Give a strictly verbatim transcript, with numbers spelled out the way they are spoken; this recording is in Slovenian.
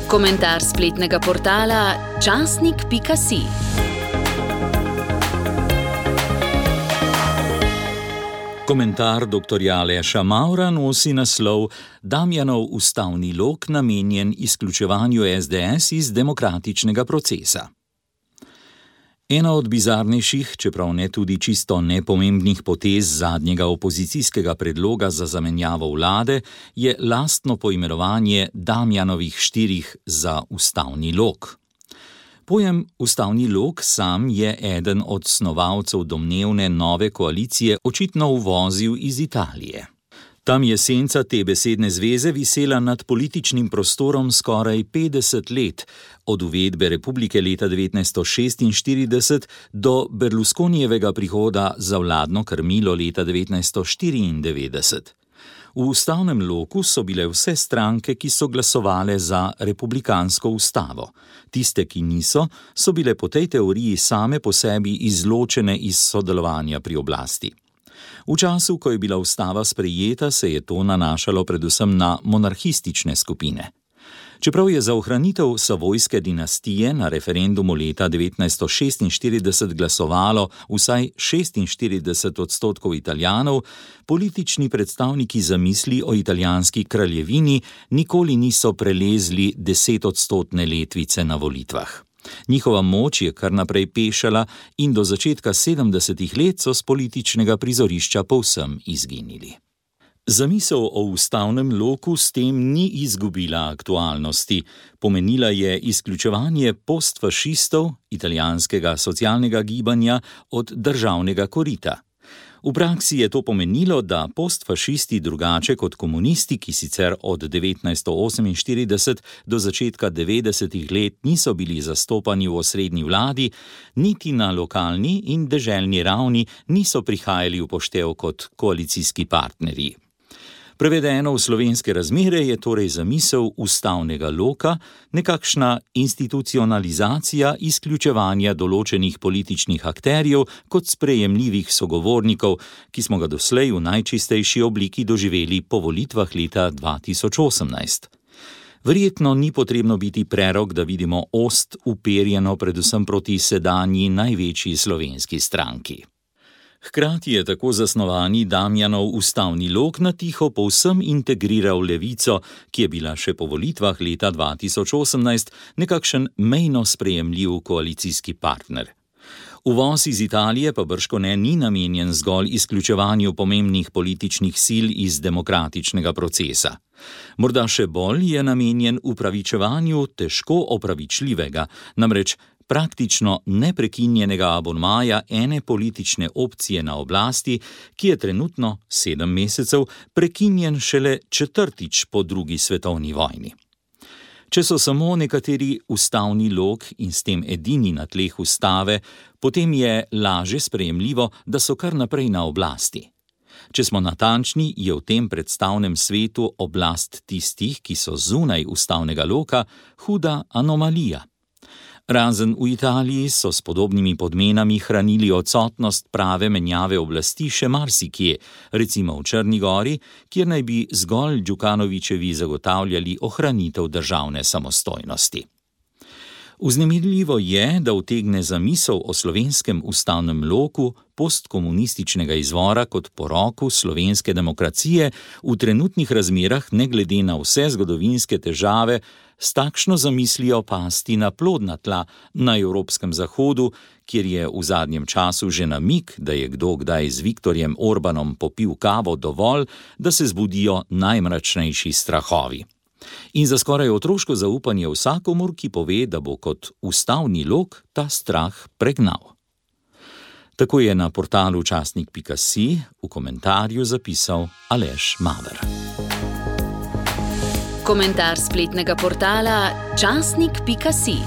Komentar spletnega portala časnik pika si. Komentar doktorja Aleša Mavra nosi naslov Damjanov ustavni lok namenjen izključevanju es de es iz demokratičnega procesa. Ena od bizarnejših, čeprav ne tudi čisto nepomembnih potez zadnjega opozicijskega predloga za zamenjavo vlade, je lastno poimenovanje Damjanovih štirih za ustavni lok. Pojem ustavni lok sam je eden od snovalcev domnevne nove koalicije očitno uvozil iz Italije. Tam je senca te besedne zveze visela nad političnim prostorom skoraj petdeset let, od uvedbe republike leta devetnajststo šestinštirideset do Berlusconijevega prihoda za vladno krmilo leta devetnajststo štiriindevetdeset. V ustavnem loku so bile vse stranke, ki so glasovale za republikansko ustavo. Tiste, ki niso, so bile po tej teoriji same po sebi izločene iz sodelovanja pri oblasti. V času, ko je bila ustava sprejeta, se je to nanašalo predvsem na monarhistične skupine. Čeprav je za ohranitev Savojske dinastije na referendumu leta devetnajststo šestinštirideset glasovalo vsaj šestinštirideset odstotkov Italijanov, politični predstavniki zamisli o italijanski kraljevini nikoli niso prelezli desetodstotne letvice na volitvah. Njihova moč je kar naprej pešala in do začetka sedemdesetih let so s političnega prizorišča povsem izginili. Zamisel o ustavnem loku s tem ni izgubila aktualnosti. Pomenila je izključevanje postfašistov, italijanskega socialnega gibanja, od državnega korita. V praksi je to pomenilo, da postfašisti drugače kot komunisti, ki sicer od devetnajststo oseminštirideset do začetka devetdesetih let niso bili zastopani v osrednji vladi, niti na lokalni in deželni ravni niso prihajali v poštev kot koalicijski partnerji. Prevedeno v slovenske razmere je torej zamisel ustavnega loka nekakšna institucionalizacija izključevanja določenih političnih akterjev kot sprejemljivih sogovornikov, ki smo ga doslej v najčistejši obliki doživeli po volitvah leta dva tisoč osemnajst. Verjetno ni potrebno biti prerok, da vidimo ost uperjeno predvsem proti sedanji največji slovenski stranki. Hkrati je tako zasnovani Damjanov ustavni lok na tiho povsem integriral levico, ki je bila še po volitvah leta dva tisoč osemnajst nekakšen mejno sprejemljiv koalicijski partner. Uvoz iz Italije pa bržkone ni namenjen zgolj izključevanju pomembnih političnih sil iz demokratičnega procesa. Morda še bolj je namenjen upravičevanju težko opravičljivega, namreč praktično neprekinjenega abonmaja ene politične opcije na oblasti, ki je trenutno sedem mesecev prekinjen šele četrtič po drugi svetovni vojni. Če so samo nekateri ustavni lok in s tem edini na tleh ustave, potem je laže sprejemljivo, da so kar naprej na oblasti. Če smo natančni, je v tem predstavnem svetu oblast tistih, ki so zunaj ustavnega loka, huda anomalija. Razen v Italiji so s podobnimi podmenami hranili odsotnost prave menjave oblasti še marsikje, recimo v Črni gori, kjer naj bi zgolj Đukanovićevi zagotavljali ohranitev državne samostojnosti. Vznemirljivo je, da utegne zamisel o slovenskem ustavnem loku postkomunističnega izvora kot poroku slovenske demokracije v trenutnih razmerah ne glede na vse zgodovinske težave s takšno zamislijo pasti na plodna tla na evropskem zahodu, kjer je v zadnjem času že namig, da je kdo kdaj z Viktorjem Orbanom popil kavo dovolj, da se zbudijo najmračnejši strahovi. In za skoraj otroško zaupanje vsakomur, ki pove, da bo kot ustavni lok ta strah pregnal. Tako je na portalu časnik pika si v komentarju zapisal Aleš Maver. Komentar spletnega portala časnik pika si.